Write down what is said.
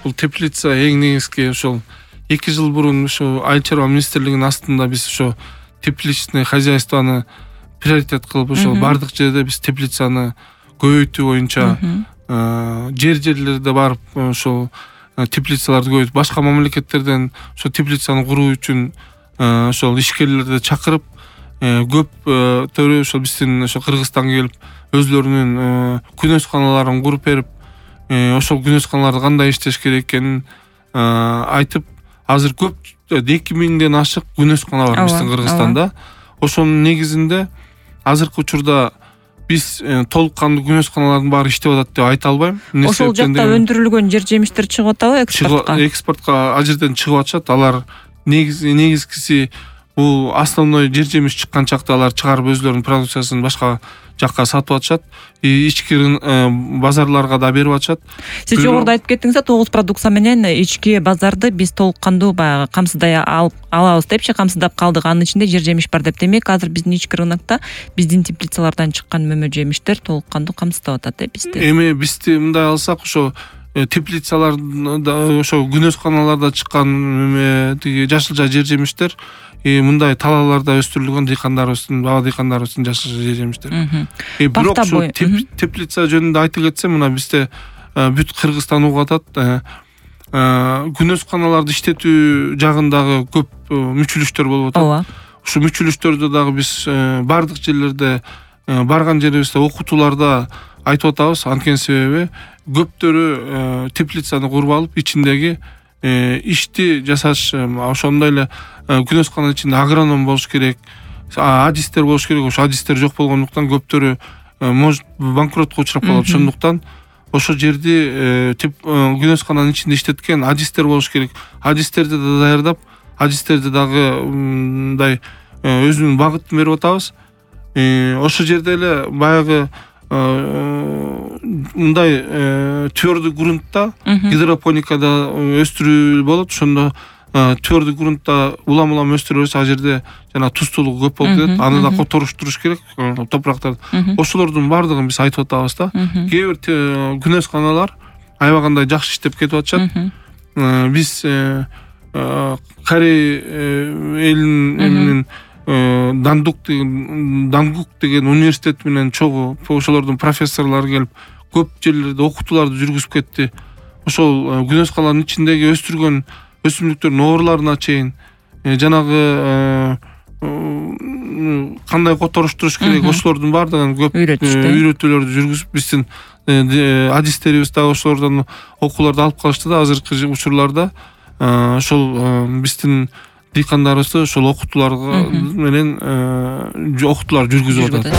бул теплица эң негизги ошол 2 жыл мурун ошо Айыл чарба министрлигинин астында биз ошо тепличный хозяйствону приоритет кылып ошо бардык жерде биз теплицаны көбөйтүү боюнча жерлерде барып ошол теплицаларды көбөйтүп, башка мамлекеттерден ошо теплицаны куруу үчүн ошол ишкерлерди чакырып, көптөрү ошол биздин ошо Кыргызстанга келип өзлөрүнүн күнөсканаларын куруп берип, ошол күнөсканаларда кандай иштеш керек экенин айтып, азыр көп 2000ден ашык күнөскана бар биздин Кыргызстанда. Ошонун негизинде азыркы учурда биз толук кандуу күнөсканалардын баары иштеп атат деп айта албайм. Ошол жакта өндүрүлгөн жер жемиштер чыгып атабы экспортко? Экспортко ал жерден чыгып атышат. Алар негизгиси бул основной жер жемиш чыккан чакта алар чыгарып өзлөрүнүн продукциясын башка жакка сатып атышат. Ички базарларга да берип атышат. Сиз жогоруда айтып кеттиңиз да, 9 продукция менен ички базарды биз толук кандуу баягы камсыздай алабыз депчи, камсыздап калдык. Анын ичинде жер жемиш бар деп. Демек, азыр биздин ички рынокто биздин теплицалардан чыккан мөмө жемиштер толук кандуу камсыздап атат бизди. Эми бизди мындай алсак, ошо теплицаларда, ошо күнөсканаларда чыккан мөмө тиги жашылча жер жемиштер мындай талааларда өстүрүлгөн дыйкандарыбыздын, бала дыйкандарыбыздын жашылча жер жемиштер. Бирок ошо теплица жөнүндө айта кетсем, мына бизде бүт Кыргызстан угуп атат. Күнөсканаларды иштетүү жагындагы көп мүчүлүштөр болуп атат. Ушу мүчүлүштөрдү дагы биз бардык жерлерде, барган жерибизде, окутууларда айтып атабыз. Анткени себеби көптөрү теплицаны куруп алып, ичиндеги ишти жасаш, ошондой эле күнөскананын ичинде агроном болуш керек, адистер болуш керек. Ошо адистер жок болгондуктан көптөрү банкротко учурап калат. Ошондуктан ошол жерди күнөскананын ичинде иштеткен адистер болуш керек. Адистерди да даярдап, адистерди дагы мындай өзүнүн багытын берип атабыз. Ошол жерде эле баягы мындай твердый грунтта, гидропоникада өстүрүү болот. Ошондо твердый грунтта улам өстүрөбүз. Ал жерде жана туздуулугу көп болуп кетет. Аны да которуштуруш керек, топурактарды. Ошолордун бардыгын биз айтып атабыз да. Кээ бир күнөсканалар аябагандай жакшы иштеп кетип атышат. Биз Корей элинин Дангук деген университет менен чогуу ошолордун профессорлору келип көп жерлерде окутууларды жүргүзүп кетти. Ошол күнөсканалардын ичиндеги өстүргөн өсүмдүктөрдүн ооруларына чейин жанагы кандай которуштуруш керек, ошолордун бардыгын көп үйрөтүүлөрдү жүргүзүп, биздин адистерибиз да ошолордон окууларды алып калышты да. Азыркы учурларда ошол биздин дыйкандарыбызды ошол окутуулар менен окутуулар жүргүзүп атат.